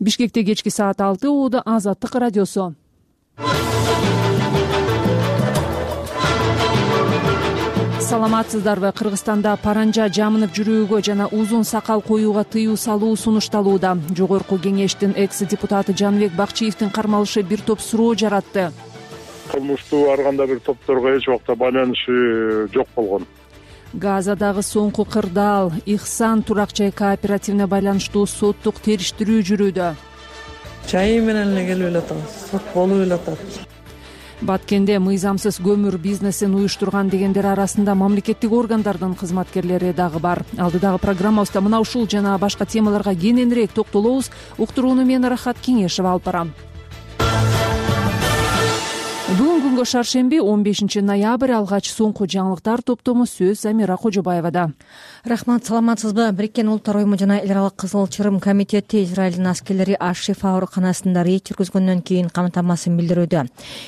Бишкекте кечки саат 6 ууда Азаттык радиосу. Саламатсыздарбы? Кыргызстанда паранжа жамынып жүрүүгө жана узун сакал коюуга тыюу салуу сунушталууда. Жогорку кеңештин экс-депутаты Жаныбек Бакчиевдин кармалышы бир топ суроо жаратты. Кылмыштуу ар кандай бир топторго эч убакта байланышы жок болгон. Газадагы соңку кырдаал Ихсан турак жай кооперативине байланыштуу соттук териштирүү жүрүүдө. Чайы менен эле келип элатабыз, сот болуп элатат. Баткенде мыйзамсыз көмүр бизнесин уюштурган дегендер арасында мамлекеттик органдардын кызматкерлери дагы бар. Алдыдагы программабызда мына ушул жана башка темаларга кененирээк токтолобуз. Уктурууну мен Рахат Кеңешева алып барам. Бүгүн күнгө шаршемби 15 ноябрь алгач соңку жаңылыктар топтому сөз Замира Кожобаевада. Рахмат, саламатсызбы? Бириккен Улуттар уюму жана эл аралык Кызыл Чырым комитети Израилдин аскерлери Аш-Шифа ооруканасында рейд жүргүзгөндөн кийин камтамасын билдирүүдө.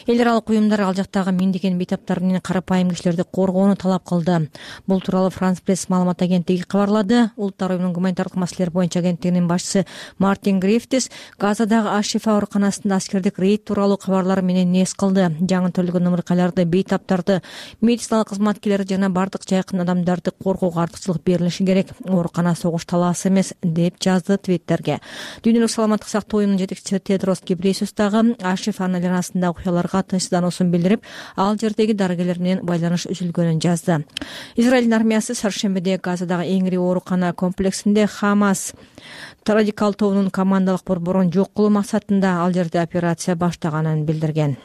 Эл аралык уюмдар ал жактагы миңдеген бейтаптар менен карапайым кишилерди коргоону талап кылды. Бул тууралуу Франс пресс маалымат агенттиги кабарлады. Улуттар уюмунун гуманитардык маселелер боюнча агенттигинин башчысы Мартин Грифтис Газадагы Аш-Шифа ооруканасында аскердик рейд тууралуу кабарлар менен нес кылды. Жаңы төрөлгөн ымыркайларды, бейтаптарды, медициналык кызматкерлерди жана бардык жайкын адамдарды коргоого артыкчылык берилиши керек. Оорукана согуш талаасы эмес, деп жазды твиттерге. Дүйнөлүк саламаттык сактоо уюмунун жетекчиси Тедрос Гебрейесус дагы Аш-Шифа арасындагы окуяларга тынчсыздануусун билдирип, ал жердеги дарыгерлер менен байланыш үзүлгөнүн жазды. Израилдин армиясы шаршембиде Газадагы эң ири оорукана комплексинде Хамас радикал тобунун командалык борборун жок кылуу максатында ал жерде операция баштаганын билдирген.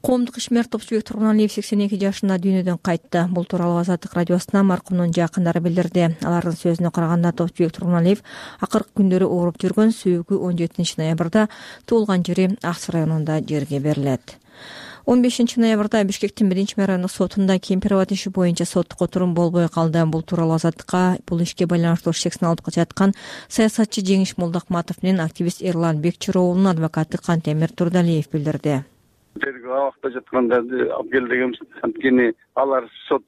Коомдук ишмер Топчубек Тургуналиев 82 жашында дүйнөдөн кайтты. Бул тууралуу Азаттык радиосуна маркумдун жакындары билдирди. Алардын сөзүнө караганда Топчубек Тургуналиев акыркы күндөрү ооруп жүргөн, сүйүгү 17 ноябрда туулган жери Аксы районунда жерге берилет. 15 ноябрда Бишкектин 1-райондук сотунда Кемпирова иши боюнча соттук отурум болбой калды. Бул тууралуу Азаттыкка бул ишке байланыштуу шексин алып жаткан саясатчы Жеңиш Молдокматов менен активист Эрлан Бекчироолунун адвокаты Кантемир Турдалиев билдирди. Тергөө абакта жаткандарды алып кел дегенбиз. Анткени алар сот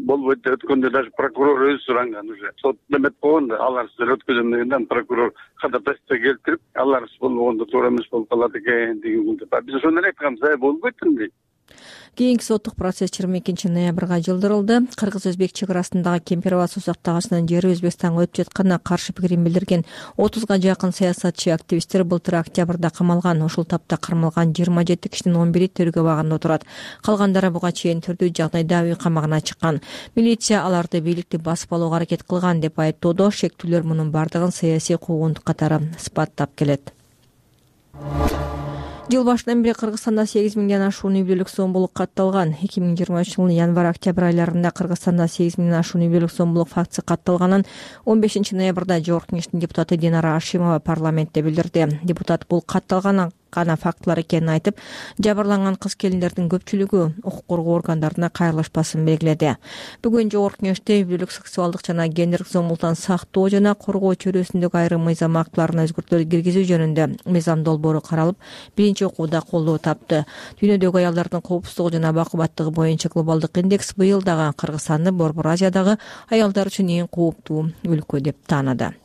болбойт деп өткөндө даже прокурор өзү суранган уже. Сот демет болгондо алар өткөзөм дегенде прокурор ходатайство келтирип, алар болбогондо туура эмес болуп калат экен деген. Биз ошону эле айтканбыз, болбойт эмне. Кийинки соттук процесс 22 ноябрга жылдырылды. Кыргыз-Өзбек чек арасындагы Кемпирова суу сактагычынын жери Өзбекстанга өтүп жатканына каршы пикирин билдирген 30га жакын саясатчы активисттер былтыр октябрда камалган. Ушул тапта кармалган 27 кишинин 11-и тергөө абагында отурат. Калгандары буга чейин түрдүү жагдайда үй камагына чыккан. Милиция аларды бийликти басып алууга аракет кылган деп айыптоодо. Шектүүлөр мунун бардыгын саясий куугунтук катары сыпаттап келет. Жыл башынан бери Кыргызстанда 8 миңден ашуун үй бүлөлүк сомбулук катталган. 2023 жылдын январь-октябрь айларында Кыргызстанда 8 миңден ашуун үй бүлөлүк сомбулук фактысы катталганын 15 ноябрда Жогорку кеңештин депутаты Динара Ашимова парламентте билдирди. Депутат бул катталган гана фактылар экенин айтып, жабырланган кыз-келиндердин көпчүлүгү укук коргоо органдарына кайрылышпасын белгиледи. Бүгүн Жогорку кеңеште үй бүлөлүк сексуалдык жана гендерлик зомбулуктан сактоо жана коргоо чөйрөсүндөгү айрым мыйзам актыларына өзгөртүүлөр киргизүү жөнүндө мыйзам долбоору каралып, биринчи окууда колдоо тапты. Дүйнөдөгү аялдардын коопсуздугу жана бакубаттыгы боюнча глобалдык индекс быйыл дагы Кыргызстанды Борбор Азиядагы аялдар үчүн эң кооптуу өлкө деп таанады.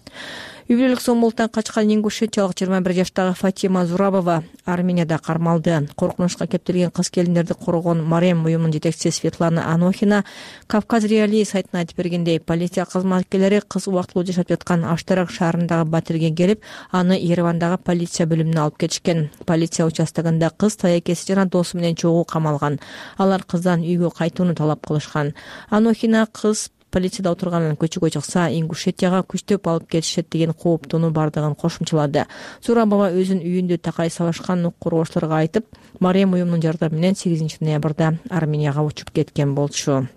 Үй бүлөлүк сомбулуктан качкан ингушетиялык 21 жаштагы Фатима Зурабова Арменияда кармалды. Коркунучка кептирген кыз-келиндерди коргогон Марем уюмунун жетекчиси Светлана Анохина Кавказ Реалии сайтына айтып бергендей, полиция кызматкерлери кыз убактылуу жашап жаткан Аштарак шаарындагы батирге келип, аны Еревандагы полиция бөлүмүнө алып кетишкен. Полиция участогунда кыз таякеси жана досу менен чогуу камалган. Алар кыздан үйгө кайтууну талап кылышкан. Анохина кыз полицияда отурганын көчөгө чыкса, Ингушетияга күчтөп алып кетишет деген кооптууну бардыгын кошумчалады. Зурабова өзүнүн үйүндө такай сабашкан укук коргоочуларга айтып, Марем уюмунун жардамы менен 8 ноябрда Арменияга учуп кеткен болчу.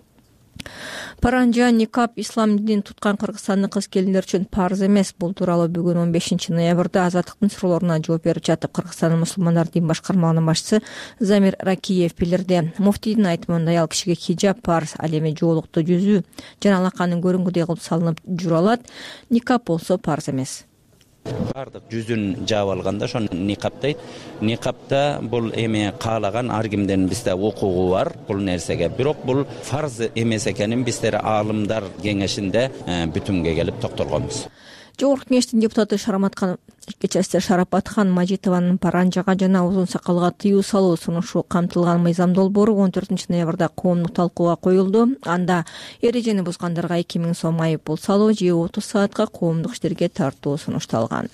Паранжа никап ислам динин туткан Кыргызстандын кыз-келиндер үчүн парз эмес. Бул тууралуу бүгүн 15 ноябрда Азаттыктын суроолоруна жооп берип жатып Кыргызстандын мусулмандар дин башкармалыгынын башчысы Замир Ракиев билдирди. Муфтийдин айтымында аял кишиге хиджаб парз, ал эми жоолукту жүзүү жана алаканын көрүнгүдөй кылып салынып жүрө алат. Никап болсо парз эмес. Бардык жүзүн жаап алганда ошону никап дейт. Никапта бул эми каалаган ар кимдин бизде укугу бар бул нерсеге. Бирок бул фарз эмес экенин биздер аалымдар кеңешинде бүтүмгө келип токтолгонбуз. Жогорку кеңештин депутаты Шарапатхан Мажитованын паранжага жана узун сакалга тыюу салуу сунушу камтылган мыйзам долбоору 14 ноябрда коомдук талкууга коюлду. Анда эрежени бузгандарга 2000 сом айып пул салуу же 30 саатка коомдук иштерге тартуу сунушталган.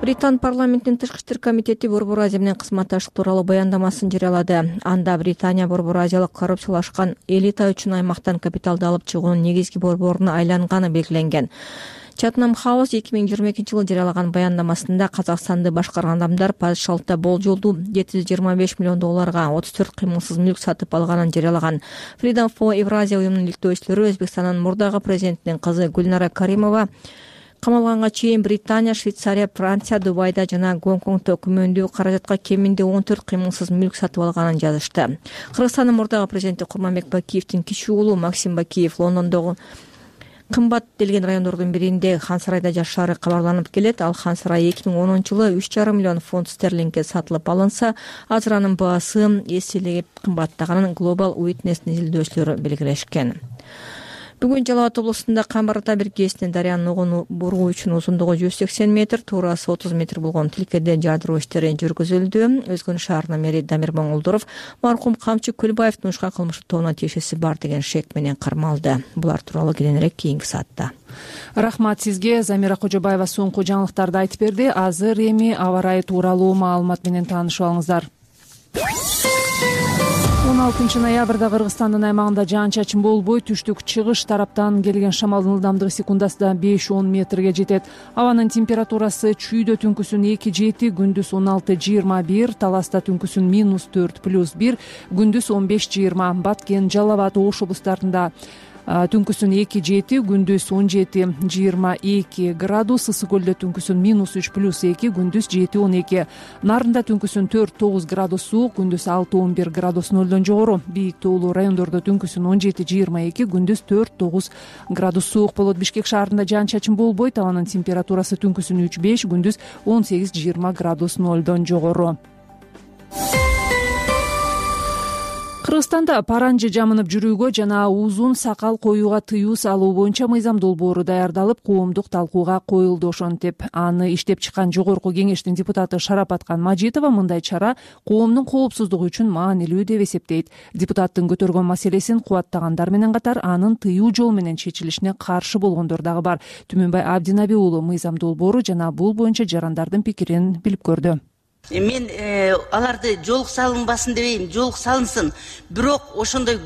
Британ парламентинин Тышкы иштер комитети Борбор Азия менен кызматташтык тууралуу баяндамасын жарыялады. Анда Британия Борбор Азиялык коррупциялашкан элита үчүн аймактан капиталды алып чыгуунун негизги борборуна айланганы белгиленген. Chatham House 2022-жылы жарыялаган баяндамасында Казакстанды башкарган адамдар падышалыкта болжолдуу $725 миллион 34 кыймылсыз мүлк сатып алганын жарыялаган. Freedom for Eurasia уюмунун иликтөөчүлөрү Өзбекстандын мурдагы президентинин кызы Гүлнара Каримова камалганга чейин Британия, Швейцария, Франция, Дубайда жана Гонконгдо күмөндүү каражатка кеминде 14 кыймылсыз мүлк сатып алганын жазышты. Кыргызстандын мурдагы президенти Курманбек Бакиевдин кичи уулу Максим Бакиев Лондондогу кымбат делген райондордун биринде Хансарайда жашаары кабарланып келет. Ал Хансарай 2010-жылы 3,5 миллион фунт стерлингге сатылып алынса, азыр анын баасы эселеп кымбаттаганын Global Witness'нин изилдөөчүлөрү белгилешкен. Бүгүн Жалал Абад облусунда Камбар ата биркесинин дарыянын угун буруу үчүн узундугу 180 метр, туурасы 30 метр болгон тилкеде жардыруу иштери жүргүзүлдү. Өзгөн шаарынын мэри Дамир Моңолдуров маркум Камчы Көлбаевдин ушкан кылмыштык тобуна тиешеси бар деген шек менен кармалды. Булар тууралуу кийинирээк кийинки саатта. Рахмат сизге. Замира Кожобаева соңку жаңылыктарды айтып берди. Азыр эми аба ырайы тууралуу маалымат менен таанышып алыңыздар. 16 ноябрда Кыргызстандын аймагында жаан-чачын болбой, түштүк-чыгыш тараптан келген шамалдын ылдамдыгы секундасына 5-10 метрге жетет. Абанын температурасы чүйдө түнкүсүн 2-7, күндүз 16-21, Таласта түнкүсүн -4+1, күндүз 15-20, Баткен, Жалал Абад, Ош облустарында түнкүсүн 2-7, күндүз 17-22 градус, Ысык көлдө түнкүсүн -3+2, күндүз 7-12, Нарында түнкүсүн 4-9 градус суук, күндүз 6-11 градус нөлдөн жогору, Бийик тоолуу райондордо түнкүсүн 17-22, күндүз 4-9 градус суук болот. Бишкек шаарында жаан-чачын болбойт, абанын температурасы түнкүсүн 3-5, күндүз 18-20 градус нөлдөн жогору. Кыргызстанда паранжы жамынып жүрүүгө жана узун сакал коюуга тыюу салуу боюнча мыйзам долбоору даярдалып, коомдук талкууга коюлду. Ошентип, аны иштеп чыккан Жогорку кеңештин депутаты Шарапатхан Мажитова мындай чара коомдун коопсуздугу үчүн маанилүү деп эсептейт. Депутаттын көтөргөн маселесин кубаттагандар менен катар анын тыюу жол менен чечилишине каршы болгондор дагы бар. Түмөнбай Абдинаби уулу мыйзам долбоору жана бул боюнча жарандардын пикирин билип көрдү. Мен аларды жолук салынбасын дебейм, жолук салынсын. Бирок ошондой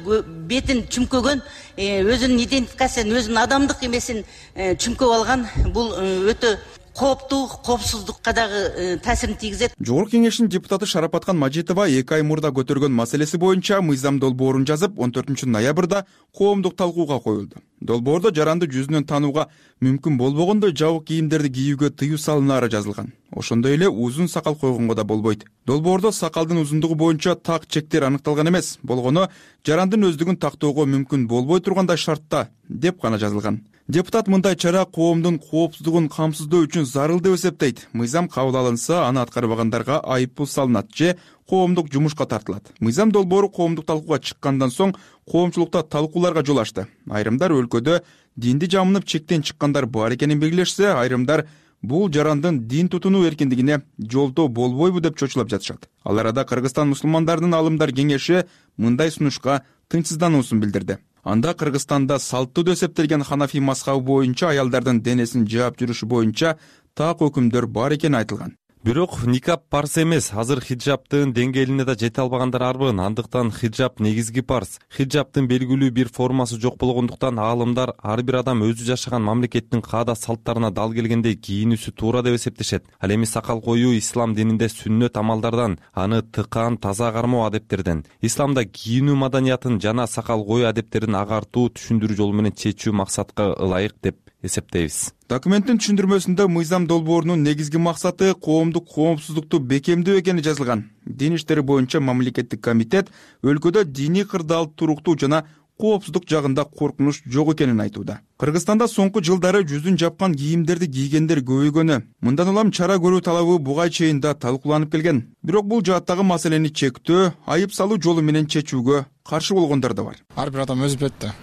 бетин чүмкөгөн, өзүнүн идентификациясын, өзүнүн адамдык эмесин чүмкөп алган, бул өтө кооптуу, коопсуздукка дагы таасирин тийгизет. Жогорку кеңештин депутаты Шарапатхан Мажитова 2 ай мурда көтөргөн маселеси боюнча мыйзам долбоорун жазып, 14 ноябрда коомдук талкууга коюлду. Долбоордо жаранды жүзүнөн таанууга мүмкүн болбогондой жабык кийимдерди кийүүгө тыюу салынаары жазылган. Ошондой эле узун сакал койгонго да болбойт. Долбоордо сакалдын узундугу боюнча так чектер аныкталган эмес, болгону жарандын өздүгүн тактоого мүмкүн болбой тургандай шартта деп гана жазылган. Депутат мындай чара коомдун коопсуздугун камсыздоо үчүн зарыл деп эсептейт. Мыйзам кабыл алынса, аны аткарбагандарга айып пул салынат же коомдук жумушка тартылат. Мыйзам долбоору коомдук талкууга чыккандан соң коомчулукта талкууларга жол ачты. Айрымдар өлкөдө динди жамынып чектен чыккандар бар экенин белгилешсе, айрымдар бул жарандын дин тутунуу эркиндигине жолдоо болбойбу деп чочулап жатышат. Ал арада Кыргызстан мусулмандардын алымдар кеңеши мындай сунушка тынчсыздануусун билдирди. Анда Кыргызстанда салттуу деп эсептелген Ханафи мазхабы боюнча аялдардын денесин жаап жүрүшү боюнча так өкүмдөр бар экени айтылган. Бирок никап парз эмес. Азыр хиджабтын деңгээлине да жете албагандар арбын. Андыктан хиджаб негизги парз. Хиджабтын белгилүү бир формасы жок болгондуктан аалымдар ар бир адам өзү жашаган мамлекеттин каада салттарына дал келгендей кийинүүсү туура деп эсептешет. Ал эми сакал коюу ислам дининде сүннөт амалдардан, аны тыкаан таза кармоо адептерден. Исламда кийинүү маданиятын жана сакал коюу адептерин агартуу, түшүндүрүү жолу менен чечүү максатка ылайык деп эсептейбиз. Документтин түшүндүрмөсүндө мыйзам долбоорунун негизги максаты коомдук коопсуздукту бекемдөө экени жазылган. Дин иштери боюнча мамлекеттик комитет өлкөдө диний кырдаал туруктуу жана коопсуздук жагында коркунуч жок экенин айтууда. Кыргызстанда соңку жылдары жүзүн жапкан кийимдерди кийгендер көбөйгөнү, мындан улам чара көрүү талабы буга чейин да талкууланып келген. Бирок бул жааттагы маселени чектөө, айып салуу жолу менен чечүүгө каршы болгондор да бар. Ар бир адам өзү билет да,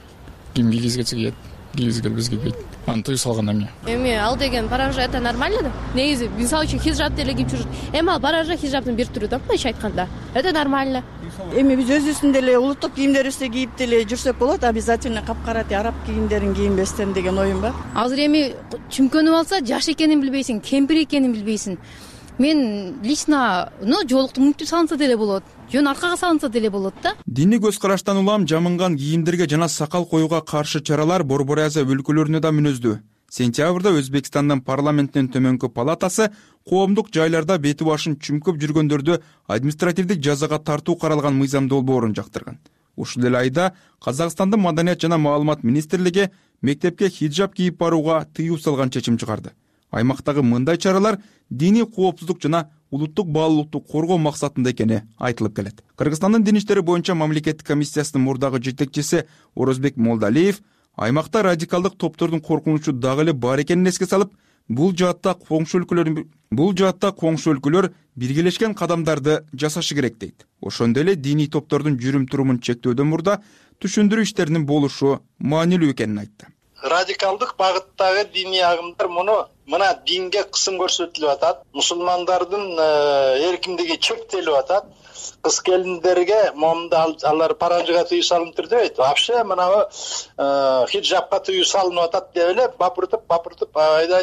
ким кийгизгечи кийет. кийгизгели бизге дейт. Аны тыюу салгандан кийин. Эми ал деген паранжа это нормально да. Негизи мисалы үчүн хижап деле кийип жүрүшөт. Эми ал паранжа хижаптын бир түрү да, мындайча айтканда. Это нормально. Эми биз өзүбүздүн деле улуттук кийимдерибизди кийип деле жүрсөк болот, обязательно капкара араб кийимдерин кийинбестен деген оюм бар. Азыр эми чүмкөнүп алса, жаш экенин билбейсиң, кемпир экенин билбейсиң. Мен лично, жоолукту мүнтүп салынса деле болот, жөн аркага салынса деле болот да. Диний көз караштан улам жамынган кийимдерге жана сакал коюуга каршы чаралар Борбор Азия өлкөлөрүнө да мүнөздүү. Сентябрда Өзбекстандын парламентинин төмөнкү палатасы коомдук жайларда бети башын чүмкөп жүргөндөрдү административдик жазага тартуу каралган мыйзам долбоорун жактырган. Ушул эле айда Казакстандын Маданият жана маалымат министрлиги мектепке хиджаб кийип барууга тыюу салган чечим чыгарды. Аймактагы мындай чаралар диний коопсуздук жана улуттук баалуулукту коргоо максатында экени айтылып келет. Кыргызстандын дин иштери боюнча мамлекеттик комиссиясынын мурдагы жетекчиси Орозбек Молдалиев аймакта радикалдык топтордун коркунучу дагы эле бар экенин эске салып, бул жаатта коңшу өлкөлөр биргелешкен кадамдарды жасашы керек дейт. Ошондой эле диний топтордун жүрүм-турумун чектөөдөн мурда түшүндүрүү иштеринин болушу маанилүү экенин айтты. Радикалдык багыттагы диний агымдар мына динге кысым көрсөтүлүп атат. Мусулмандардын эркиндиги чектелип атат. Кыз келиндерге момунда алар паранжыга тыюу салынып тур дебейт. Вообще мына хиджабка тыюу салынып атат деп эле бапыртып айда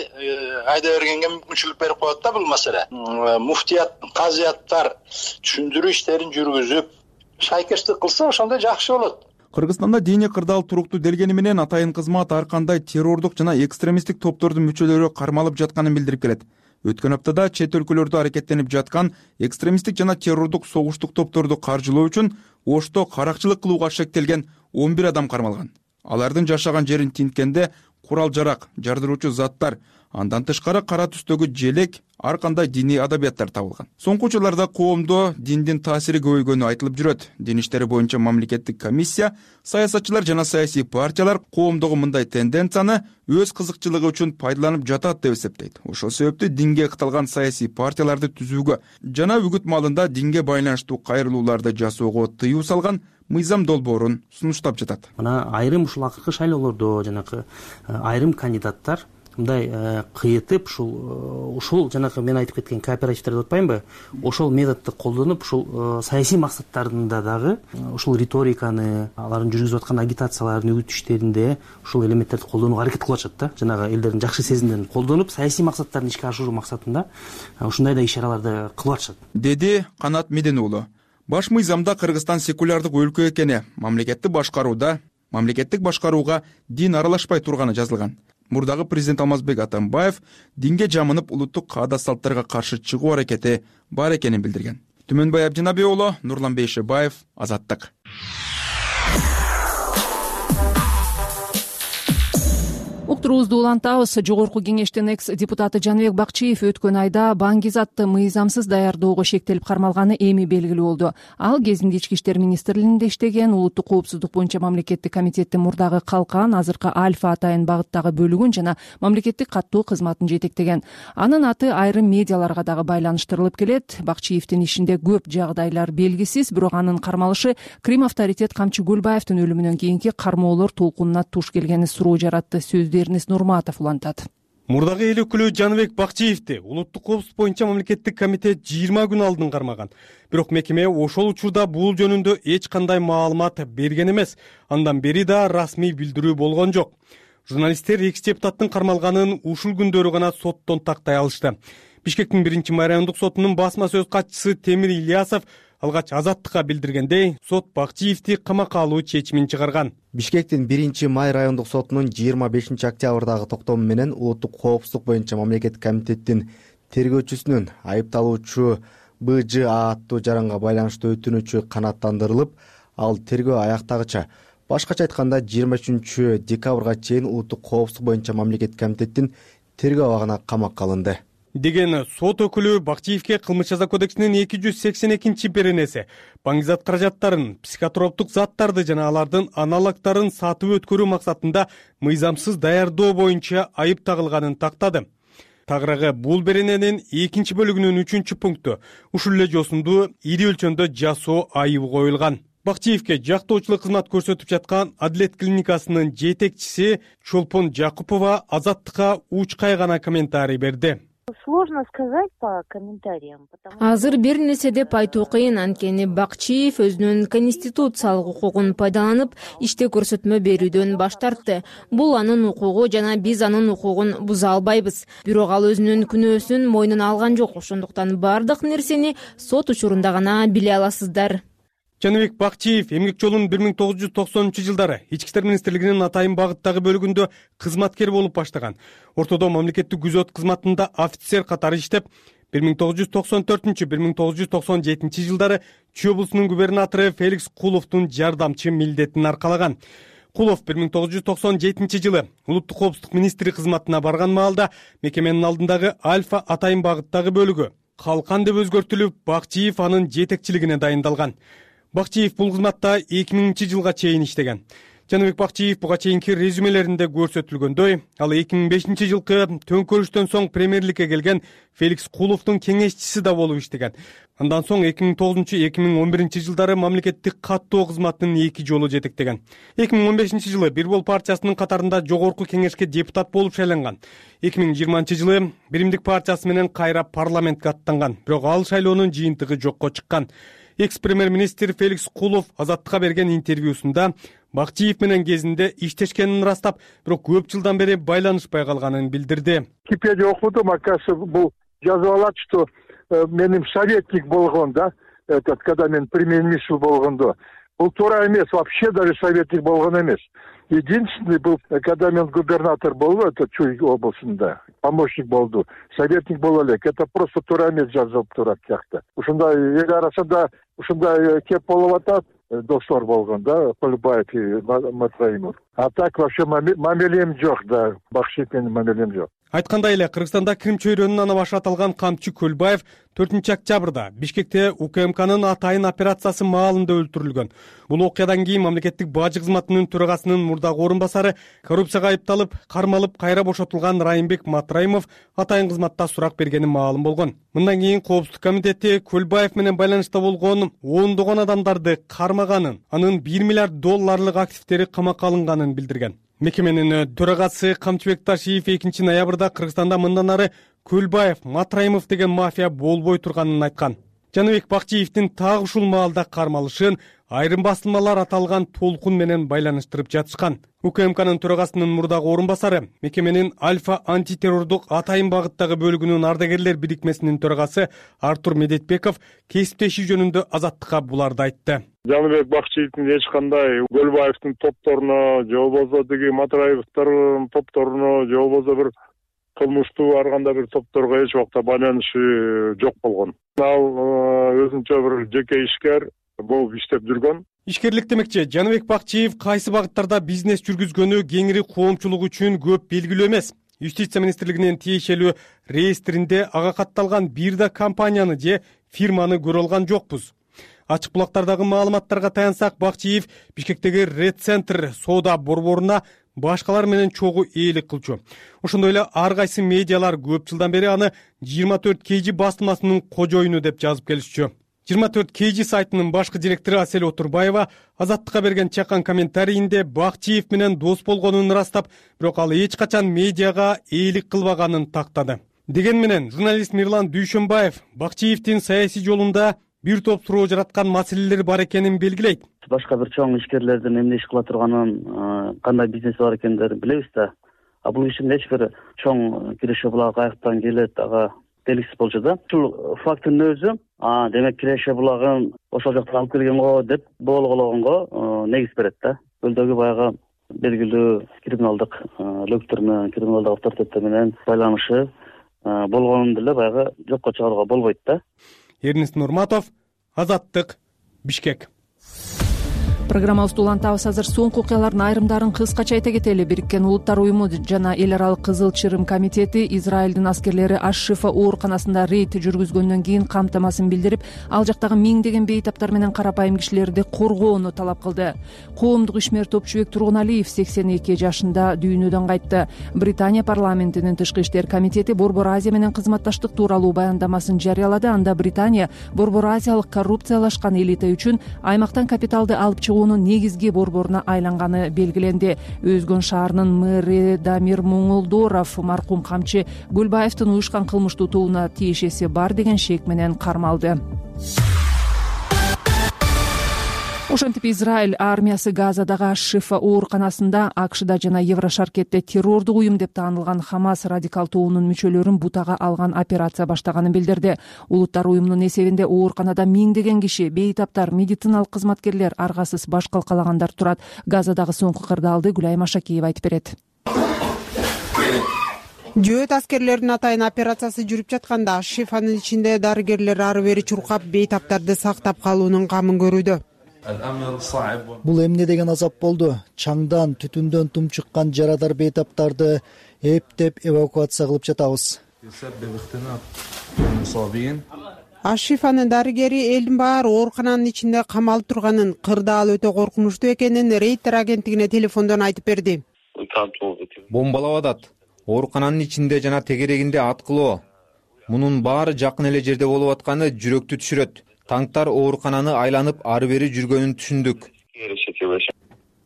бергенге мүмкүнчүлүк берип коет да бул маселе. Муфтият, казыяттар түшүндүрүү иштерин жүргүзүп, шайкештик кылса ошондой жакшы болот. Кыргызстанда диний кырдаал туруктуу делгени менен атайын кызмат ар кандай террордук жана экстремисттик топтордун мүчөлөрү кармалып жатканын билдирип келет. Өткөн аптада чет өлкөлөрдө аракеттенип жаткан экстремисттик жана террордук согуштук топторду каржылоо үчүн Ошто каракчылык кылууга шектелген 11 адам кармалган. Алардын жашаган жерин тинткенде курал-жарак, жардыруучу заттар, андан тышкары кара түстөгү желек, ар кандай диний адабияттар табылган. Соңку жылдарда коомдо диндин таасири көбөйгөнү айтылып жүрөт. Дин иштери боюнча мамлекеттик комиссия, саясатчылар жана саясий партиялар коомдогу мындай тенденцияны өз кызыкчылыгы үчүн пайдаланып жатат деп эсептейт. Ошол себептүү динге кыталган саясий партияларды түзүүгө жана үгүт маалында динге байланыштуу кайрылууларды жасоого тыюу салган мыйзам долбоорун сунуштап жатат. Мына айрым ушул акыркы шайлоолордо жанакы айрым кандидаттар мындай кыйытып ушул жанакы мен айтып кеткен кооперативдер деп атпаймынбы? Ошол методду колдонуп, ушул саясий максаттарында дагы ушул риториканы, алардын жүргүзүп аткан агитацияларын үгүт иштеринде ушул элементтерди колдонууга аракет кылып атышат да. Жанагы элдердин жакшы сезимдерин колдонуп, саясий максаттарын ишке ашыруу максатында ушундай да иш-чараларды кылып атышат. Деди Канат Меден уулу. Баш мыйзамда Кыргызстан секулярдык өлкө экени, мамлекеттик башкарууга дин аралашпай турганы жазылган. Мурдагы президент Алмазбек Атамбаев динге жамынып улуттук каада-салттарга каршы чыгуу аракети бар экенин билдирген. Түмөнбай Абдинабий уулу, Нурлан Бейшебаев, Азаттык. Уктуруубузду улантабыз. Жогорку кеңештин экс-депутаты Жаныбек Бакчиев өткөн айда баңгизатты мыйзамсыз даярдоого шектелип кармалганы эми белгилүү болду. Ал кезинде Ички иштер министрлигинде иштеген, улуттук коопсуздук боюнча мамлекеттик комитеттин мурдагы калкан, азыркы Альфа атайын багыттагы бөлүгүн жана мамлекеттик каттоо кызматын жетектеген. Анын аты айрым медиаларга дагы байланыштырылып келет. Бакчиевдин ишинде көп жагдайлар белгисиз, бирок анын кармалышы Крим авторитет Камчы Гүлбаевдин өлүмүнөн кийинки кармоолор толкунуна туш келгени суроо жаратты. Эрнест Нурматов улантат. Мурдагы эл өкүлү Жаныбек Бакчиевди улуттук коопсуздук боюнча мамлекеттик комитет 20 күн алдын кармаган. Бирок мекеме ошол учурда бул жөнүндө эч кандай маалымат берген эмес. Андан бери да расмий билдирүү болгон жок. Журналисттер экс-депутаттын кармалганын ушул күндөрү гана соттон тактай алышты. Бишкектин 1-май райондук сотунун басма сөз катчысы Темир Ильясов алгач Азаттыкка билдиргендей, сот Бакчиевди камакка алуу чечимин чыгарган. Бишкектин 1-май райондук сотунун 25-октябрдагы токтому менен улуттук коопсуздук боюнча мамлекеттик комитеттин тергөөчүсүнүн айыпталуучу БЖА аттуу жаранга байланыштуу өтүнүчү канааттандырылып, ал тергөө аяктагыча, башкача айтканда 23-декабрга чейин улуттук коопсуздук боюнча мамлекеттик комитеттин тергөө абагына камакка алынды деген сот өкүлү Бакчиевке Кылмыш жаза кодексинин 282-беренеси баңгизат каражаттарын, психотроптук заттарды жана алардын аналогдорун сатып өткөрүү максатында мыйзамсыз даярдоо боюнча айып тагылганын тактады. Тагыраагы бул берененин 2-бөлүгүнүн 3-пункту ушул эле жосунду ири өлчөмдө жасоо айыбы коюлган. Бакчиевке жактоочулук кызмат көрсөтүп жаткан Адилет клиникасынын жетекчиси Чолпон Жакупова Азаттыкка уч кайгана комментарий берди. Сложно сказать по комментариям. Азыр бир нерсе деп айтуу кыйын, анткени Бакчиев өзүнүн конституциялык укугун пайдаланып, иште көрсөтмө берүүдөн баш тартты. Бул анын укугу жана биз анын укугун буза албайбыз. Бирок ал өзүнүн күнөөсүн мойнуна алган жок. Ошондуктан бардык нерсени сот учурунда гана биле аласыздар. Жаныбек Бакчиев эмгек жолун 1990-жылдары Ички иштер министрлигинин Атайын багыттагы бөлүгүндө кызматкер болуп баштаган. Ортодо мамлекеттик күзөт кызматында офицер катары иштеп, 1994-1997 жылдары Чүй облусунун губернатору Феликс Куловдун жардамчы милдетин аркалаган. Кулов 1997 жылы улуттук коопсуздук министри кызматына барган маалда мекеменин алдындагы Альфа Атайын багыттагы бөлүгү калкан деп өзгөртүлүп, Бакчиев анын жетекчилигине дайындалган. Бакчиев бул кызматта 2000 жылга чейин иштеген. Жаныбек Бакчиев буга чейинки резюмелеринде көрсөтүлгөндөй, ал 2005 жылкы төңкөрүштөн соң премьерликке келген Феликс Куловдун кеңешчиси да болуп иштеген. Андан соң 2009-2011 жылдары мамлекеттик каттоо кызматынын 2 жолу жетектеген. 2015 жылы Бир Бол партиясынын катарында жогорку кеңешке депутат болуп шайланган. 2020 жылы Биримдик партиясы менен кайра парламентке аттанган. Бирок ал шайлоонун жыйынтыгы жокко чыккан. Экс-премьер-министр Феликс Кулов Азаттыкка берген интервьюсунда Бакчиев менен кезинде иштешкенин ырастап, бирок көп жылдан бери байланышпай калганын билдирди. Википедия окудум, оказывается, бул жазып алат, что менин советник болгон, да, когда мен премьер-министр болгондо. Бул туура эмес, вообще даже советник болгон эмес. Единственный был, когда мен губернатор болду, это Чүй облусунда, помощник болду, советник боло элек. Это просто туура эмес жазылып турат жакта. Ушундай эл арасында ушундай кеп болуп атат, достор болгон, да, Көлбаев и Матраимов. А так вообще мамилем жок, да, Бакчиев менен мамилем жок. Айткандай эле, Кыргызстанда Крым чөйрөнүн ана башы аталган камчы Көлбаев 4-октябрда Бишкекте УКМКнын Атайын операциясы маалында өлтүрүлгөн. Бул окуядан кийин мамлекеттик бажы кызматынын төрагасынын мурдагы орун басары, коррупцияга айыпталып, кармалып, кайра бошотулган Райымбек Матраимов Атайын кызматта сурак бергени маалым болгон. Мындан кийин Коопсуздук комитети Көлбаев менен байланышта болгон ондогон адамдарды кармаганын, анын $1 миллиард активдери камакка алынганын билдирген. Мекеменин төрагасы Камчыбек Ташиев 2 ноябрда Кыргызстанда мындан ары Көлбаев, Матраимов деген мафия болбой турганын айткан. Жаныбек Бакчиевдин так ушул маалда кармалышын айрым басылмалар аталган толкун менен байланыштырып жатышкан. УКМКнын төрагасынын мурдагы орун басары, мекеменин Альфа антитеррордук Атайын багыттагы бөлүгүнүн ардагерлер бирикмесинин төрагасы Артур Медетбеков кесиптешүү жөнүндө Азаттыкка буларды айтты. Жаныбек Бакчиевдин эч кандай Көлбаевдин топторуна, же болбосо деги Матраевдин топторуна, же болбосо бир кылмыштуу ар кандай бир топторго эч убакта байланышы жок болгон. Ал өзүнчө бир жеке ишкер болуп иштеп жүргөн. Ишкерлик демекчи, Жаныбек Бакчиев кайсы багыттарда бизнес жүргүзгөнү кеңири коомчулук үчүн көп белгилүү эмес. Юстиция министрлигинин тиешелүү реестринде ага катталган бир да компанияны же фирманы көрө алган жокпуз. Ачык булактардагы маалыматтарга таянсак, Бакчиев Бишкектеги Ред Центр соода борборуна башкалар менен чогуу ээлик кылчу. Ошондой эле ар кайсы медиалар көп жылдан бери аны 24 KG басылмасынын кожоюну деп жазып келишчү. 24 KG сайтынын башкы директору Асель Отурбаева Азаттыкка берген чакан комментарийинде Бакчиев менен дос болгонун ырастап, бирок ал эч качан медиага ээлик кылбаганын тактады. Деген менен журналист Мирлан Дүйшөнбаев Бакчиевдин саясий жолунда бир топ суроо жараткан маселелер бар экенин белгилейт. Башка бир чоң ишкерлердин эмне иш кыла турганын, кандай бизнеси бар экендерин билебиз да. А бул ишин эч бир чоң Киреше булагы каяктан келет, ага белгисиз болчу да. Ушул фактынын өзү, демек Киреше булагын ошол жактан алып келген го деп болгонгонго негиз берет да. Көлдөгү баягы белгилүү криминалдык лөктөр менен, криминалдык авторитеттер менен байланышы болгонун деле баягы жокко чыгарууга болбойт да. Эрнест Нурматов, Азаттык, Бишкек. Программабызды улантабыз. Азыр соңку окуялардын айрымдарын кыскача айта кетели. Бириккен Улуттар уюму жана эл аралык Кызыл Чырым комитети Израилдин аскерлери Аш-Шифа ооруканасында рейд жүргүзгөндөн кийин камтамасын билдирип, ал жактагы миңдеген бейтаптар менен карапайым кишилерди коргоону талап кылды. Коомдук ишмер Топчубек Тургуналиев 82 жашында дүйнөдөн кайтты. Британия парламентинин Тышкы иштер комитети Борбор Азия менен кызматташтык тууралуу баяндамасын жарыялады. Анда Британия Борбор Азиялык коррупциялашкан элита үчүн аймактан капиталды алып чыгуунун негизги борборуна айланганы белгиленди. Өзгөн шаарынын мэри Дамир Муңулдоров маркум камчы Гүлбаевдин уюшкан кылмыштуу тобуна тиешеси бар деген шек менен кармалды. Ошентип Израиль армиясы Газадагы Аш-Шифа ооруканасында АКШда жана Еврошаркетте террордук уюм деп таанылган Хамас радикал тобунун мүчөлөрүн бутага алган операция баштаганын билдирди. Улуттар уюмунун эсебинде ооруканада миңдеген киши, бейтаптар, медициналык кызматкерлер, аргасыз баш калкалагандар турат. Газадагы соңку кырдаалды Гүлай Машакиева айтып берет. Жөөт аскерлердин атайын операциясы жүрүп жатканда Аш-Шифанын ичинде дарыгерлер ары бери чуркап бейтаптарды сактап калуунун камын көрүүдө. Бул эмне деген азап болду? Чаңдан, түтүндөн тумчуккан жарадар бейтаптарды эптеп эвакуация кылып жатабыз. Аш-Шифанын дарыгери элдин баары оорукананын ичинде камалып турганын, кырдаал өтө коркунучтуу экенин Рейтер агенттигине телефондон айтып берди. Бомбалап атат. Оорукананын ичинде жана тегерегинде аткылоо. Мунун баары жакын эле жерде болуп атканы жүрөктү түшүрөт. Танктар оорукананы айланып ары бери жүргөнүн түшүндүк,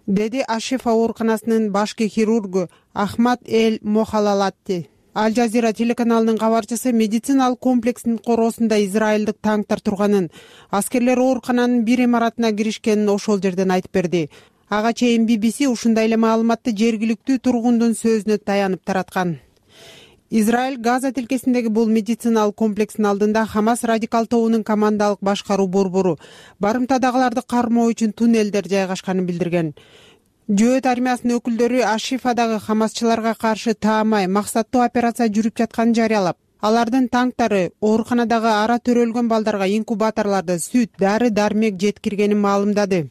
деди Аш-Шифа ооруканасынын башкы хирургу Ахмад Эль Мохалалатти. Аль Жазира телеканалынын кабарчысы медициналык комплекстин короосунда израилдик танктар турганын, аскерлер оорукананын бир имаратына киришкенин ошол жерден айтып берди. Ага чейин BBC ушундай эле маалыматты жергиликтүү тургундун сөзүнө таянып тараткан. Израиль Газа тилкесиндеги бул медициналык комплекстин алдында Хамас радикал тобунун командалык башкаруу борбору барымтадагыларды кармоо үчүн туннелдер жайгашканын билдирген. Жөөт армиясынын өкүлдөрү Аш-Шифадагы хамасчыларга каршы таамай максаттуу операция жүрүп жатканын жарыялап, алардын танктары ооруканадагы ара төрөлгөн балдарга инкубаторлорду сүт, дары-дармек жеткиргенин маалымдады.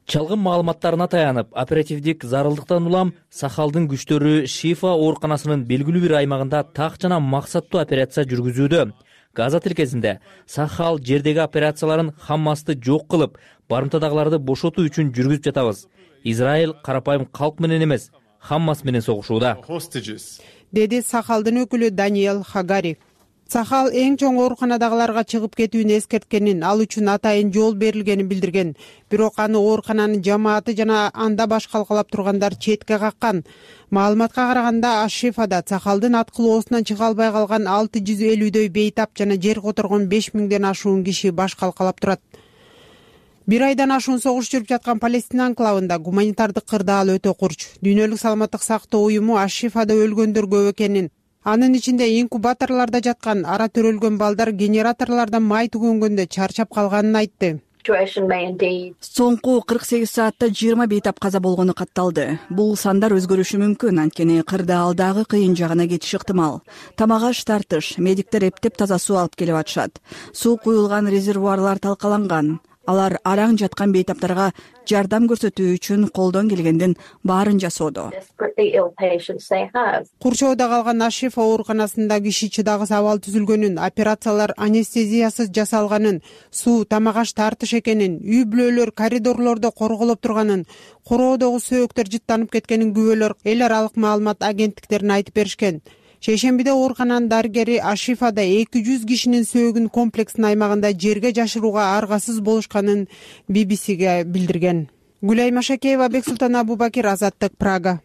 Чалгын маалыматтарына таянып, оперативдик зарылдыктан улам Сахалдын күчтөрү Шифа ооруканасынын белгилүү бир аймагында так жана максаттуу операция жүргүзүүдө. Газа тилкесинде Сахал жердеги операцияларын Хамасты жок кылып, барымтадагыларды бошотуу үчүн жүргүзүп жатабыз. Израиль карапайым калк менен эмес, Хамас менен согушууда, деди Сахалдын өкүлү Даниэл Хагари. Сахал эң чоң ооруканадагыларга чыгып кетүүнү эскерткенин, ал үчүн атайын жол берилгенин билдирген. Бирок аны оорукананын жамааты жана анда баш калкалап тургандар четке каккан. Маалыматка караганда Аш-Шифада Сахалдын аткылоосунан чыга албай калган 650дөй бейтап жана жер которгон 5000ден ашуун киши баш калкалап турат. Бир айдан ашуун согуш жүрүп жаткан Палестина анклавында гуманитардык кырдаал өтө курч. Дүйнөлүк саламаттык сактоо уюму Аш-Шифада өлгөндөр көп экенин, анын ичинде инкубаторлордо жаткан ара төрөлгөн балдар генераторлордон май түгөнгөндө чарчап калганын айтты. Соңку 48 саатта 20 бейтап каза болгону катталды. Бул сандар өзгөрүшү мүмкүн, анткени кырдаалдагы кыйын жагына кетиш ыктымал. Тамак-аш тартыш, медиктер эптеп таза суу алып келип атышат. Суу куюлган резервуарлар талкаланган. Алар араң жаткан бейтаптарга жардам көрсөтүү үчүн колдон келгендин баарын жасоодо. Курчоодо калган Аш-Шифа ооруканасында киши чыдагыс абал түзүлгөнүн, операциялар анестезиясыз жасалганын, суу, тамак-аш тартыш экенин, үй бүлөлөр коридорлордо корголоп турганын, короодогу сөөктөр жыттанып кеткенин күбөлөр эл аралык маалымат агенттиктерине айтып беришкен. Шейшембиде оорукананын дарыгери Аш-Шифада 200 кишинин сөөгүн комплекстин аймагында жерге жашырууга аргасыз болушканын BBC'ге билдирген. Гүлай Машакеева, Бексултан Абубакир, Азаттык, Прага.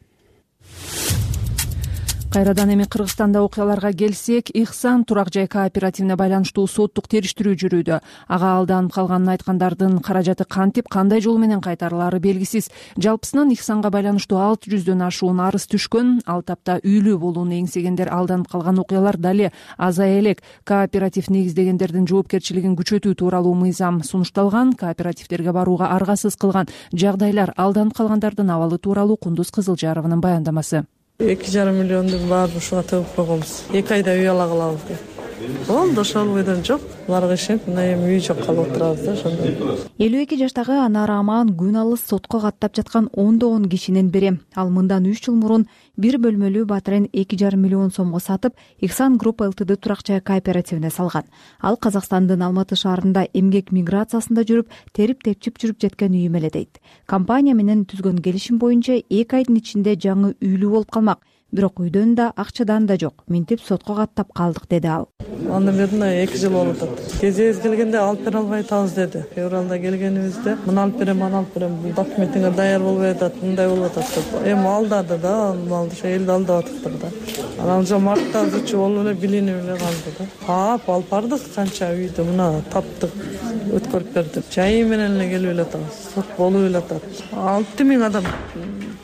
Кайрадан эми Кыргызстанда окуяларга келсек, Ихсан турак жай кооперативине байланыштуу соттук териштирүү жүрүүдө. Ага алданып калганын айткандардын каражаты кантип, кандай жол менен кайтарылаары белгисиз. Жалпысынан Ихсанга байланыштуу 600дөн ашуун арыз түшкөн. Ал тапта үйлүү болууну эңсегендер алданып калган окуялар дале азая элек. Кооператив негиздегендердин жоопкерчилигин күчөтүү тууралуу мыйзам сунушталган. Кооперативдерге барууга аргасыз кылган жагдайлар, алданып калгандардын абалы тууралуу Кундуз Кызылжарованын баяндамасы. 2,5 миллиондун баарын ушуга төгүп койгонбуз. 2 айда үй ала калабыз деп. болду ошол бойдон жок буларга ишенип мына эми үй жок калып отурабыз да ошондой. 52 жаштагы Анара Аман күн алыс сотко каттап жаткан ондогон кишинин бири. Ал мындан 3 жыл мурун бир бөлмөлүү батирен 2,5 миллион сомго сатып, Ихсан Групп Ltd турак жай кооперативине салган. Ал Казакстандын Алматы шаарында эмгек миграциясында жүрүп, терип-тепчип жүрүп жеткен үйүм эле дейт. Компания менен түзгөн келишим боюнча 2 айдын ичинде жаңы үйлүү болуп калмак. Бирок үйдөн да акчадан да жок. Минтип сотко каттап калдык деди ал. Андан бери 2 жыл болуп атат. Кезебиз келгенде алып бере албай атабыз деди. Февралда келгенибизде муну алып берем, аны алып берем, бул документиңер даяр болбой атат, мындай болуп атат деп. Эми алдады да, малды ошо элди алдап атыптыр да. Анан уже мартта зычу болуп эле билинип эле калды да. Алып бардык канча үйдү мына таптык, өткөрүп бердик. Жайы менен эле келип эле атабыз. Сот болуп эле атат. 6000 адам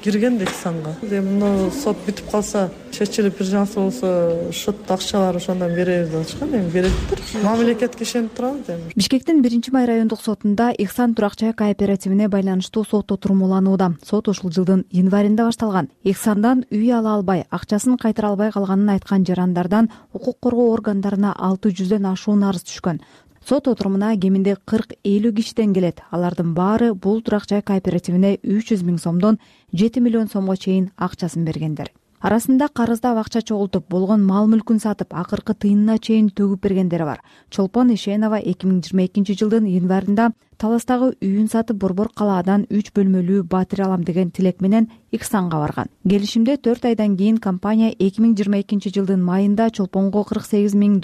кирген Ихсанга. Эми сот бүтүп калса, чечилип бир жансыз болсо, шот акчалар ошондон беребиз деп атышкан. Эми бериптир. Мамлекетке ишенип турабыз эми. Бишкектин 1-май райондук сотунда Ихсан турак жай кооперативине байланыштуу сот отуруму уланууда. Сот ушул жылдын январында башталган. Ихсандан үй ала албай, акчасын кайтара албай калганын айткан жарандардан укук коргоо органдарына 600дөн ашуун арыз түшкөн. Сот отурумуна кеминде 40-50 кишиден келет. Алардын баары бул турак жай кооперативине 300 миң сомдон 7 миллион сомго чейин акчасын бергендер. Арасында карыздап акча чогултуп, болгон мал-мүлкүн сатып, акыркы тыйынына чейин төгүп бергендери бар. Чолпон Ишенова 2022 жылдын январында Таластагы үйүн сатып Борбор калаадан 3 бөлмөлүү батир алам деген тилек менен Ихсанга барган. Келишимде 4 айдан кийин компания 2022 жылдын майында Чолпонго $48 миң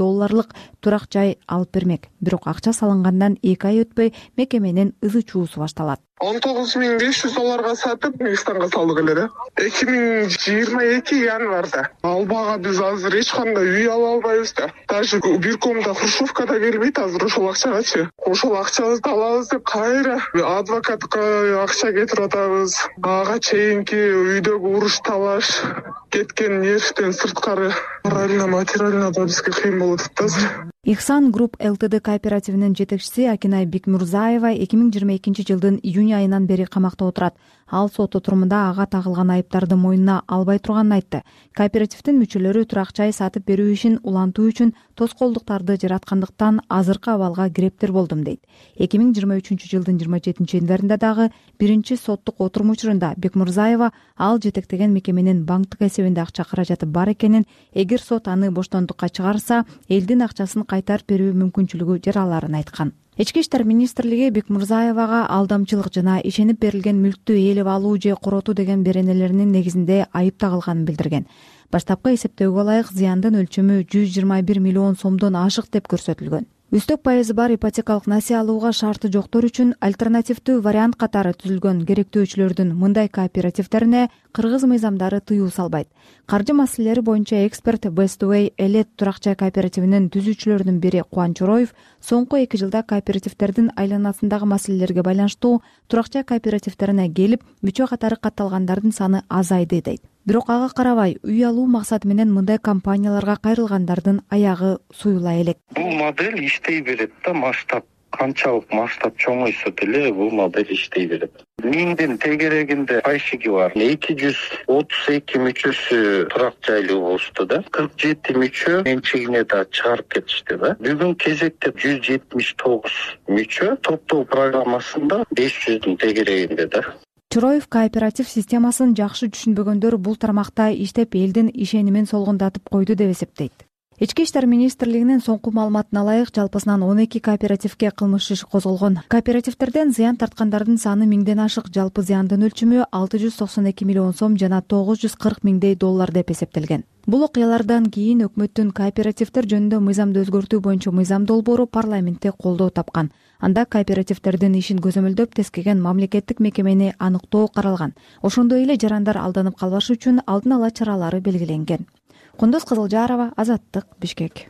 турак жай алып бермек. Бирок акча салынгандан 2 ай өтпөй мекеменин ызы чуусу башталат. $19,500 сатып Ихсанга салдык эле да. 2022 январда. Албага биз азыр эч кандай үй ала албайбыз да. Даже бир комната хрущевкада келбейт азыр ошол акчагачы. Ошол акчабызды алабыз деп кайра адвокатка акча кетирип атабыз. Ага чейинки үйдөгү уруш талаш кеткен нервден сырткары морально материально да бизге кыйын болуп атат да. Ихсан Групп Ltd кооперативинин жетекчиси Акинай Бекмурзаева 2022 жылдын июнь айынан бери камакта отурат. Ал сот отурумунда ага тагылган айыптарды мойнуна албай турганын айтты. Кооперативдин мүчөлөрү турак жай сатып берүү ишин улантуу үчүн тоскоолдуктарды жараткандыктан азыркы абалга кирептир болдум дейт. 2023 жылдын 27 январында дагы биринчи соттук отурум учурунда Бекмурзаева ал жетектеген мекеменин банктык эсебинде акча каражаты бар экенин, эгер сот аны боштондукка чыгарса, элдин акчасын кайтарып берүү мүмкүнчүлүгү жараларын айткан. Ички иштер министрлиги Бекмурзаевага алдамчылык жана ишенип берилген мүлктү ээлеп алуу же коротуу деген беренелеринин негизинде айып тагылганын билдирген. Баштапкы эсептөөгө ылайык зыяндын өлчөмү 121 миллион сомдон ашык деп көрсөтүлгөн. Үстөк пайызы бар ипотекалык насыя алууга шарты жоктор үчүн альтернативдүү вариант катары түзүлгөн керектөөчүлөрдүн мындай кооперативдерине кыргыз мыйзамдары тыюу салбайт. Каржы маселелери боюнча эксперт Bestway Элет турак жай кооперативинин түзүүчүлөрүнүн бири Кубан Чороев соңку 2 жылда кооперативдердин айланасындагы маселелерге байланыштуу турак жай кооперативдерине келип, мүчө катары катталгандардын саны азайды дейт. Бирок ага карабай, үй алуу максаты менен мындай компанияларга кайрылгандардын аягы суюла элек. Бул модель иштей берет да, масштаб канчалык масштаб чоңойсо деле бул модель иштей берет. Миңдин тегерегинде пайшиги бар. 232 мүчөсү турак жайлуу болушту да. 47 мүчө менчигине да чыгарып кетишти да. Бүгүн кезекте 179 мүчө топтоо программасында 500дүн тегерегинде да. Чороев кооператив системасын жакшы түшүнбөгөндөр бул тармакта иштеп элдин ишенимин солгундатып койду деп эсептейт. Ички иштер министрлигинин соңку маалыматына ылайык жалпысынан 12 кооперативге кылмыш иш козголгон. Кооперативдерден зыян тарткандардын саны 1000ден ашык, жалпы зыяндын өлчөмү 692 миллион сом жана $940 миңдей деп эсептелген. Бул окуялардан кийин өкмөттүн кооперативдер жөнүндө мыйзамды өзгөртүү боюнча мыйзам долбоору парламентте колдоо тапкан. Анда кооперативдердин ишин көзөмөлдөп тескеген мамлекеттик мекемени аныктоо каралган. Ошондой эле жарандар алданып калбаш үчүн алдын ала чаралары белгиленген. Кундуз Кызылжарова, Азаттык, Бишкек.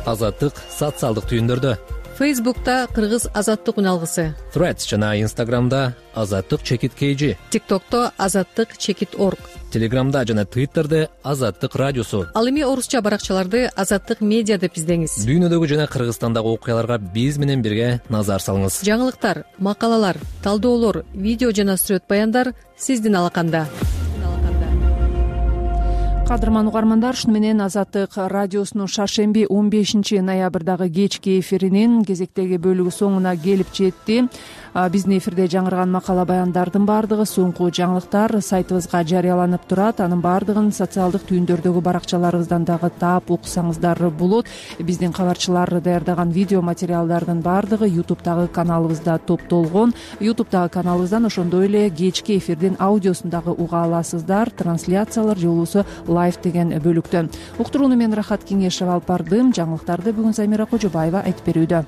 Азаттык социалдык түйүндөрдө. Facebook'ta Кыргыз Азаттык үналгысы. Threads жана Instagram'da Азаттык_KG. TikTok'ta Азаттык_org. Telegram'da жана Twitter'de Азаттык радиосу. Ал эми орусча баракчаларды Азаттык медиа деп издеңиз. Дүйнөдөгү жана Кыргызстандагы окуяларга биз менен бирге назар салыңыз. Жаңылыктар, макалалар, талдоолор, видео жана сүрөт баяндар сиздин алаканда. кадырман угармандар, ушуну менен Азаттык радиосунун шаршемби 15 ноябрдагы кечки эфиринин кезектеги бөлүгү соңуна келип жетти. Биздин эфирде жаңырган макала баяндардын баардыгы соңку жаңылыктар сайтыбызга жарыяланып турат. Анын баардыгын социалдык түйүндөрдөгү баракчаларыбыздан дагы таап уксаңыздар болот. Биздин кабарчылар даярдаган видео материалдардын баардыгы YouTube'дагы каналыбызда топтолгон. YouTube'дагы каналыбыздан ошондой эле кечки эфирдин аудиосун дагы уга аласыздар. Трансляциялар же болбосо лайв деген бөлүктөн. Уктурууну мен Рахат Кеңешева алып бардым. Жаңылыктарды бүгүн Замира Кожобаева айтып берүүдө.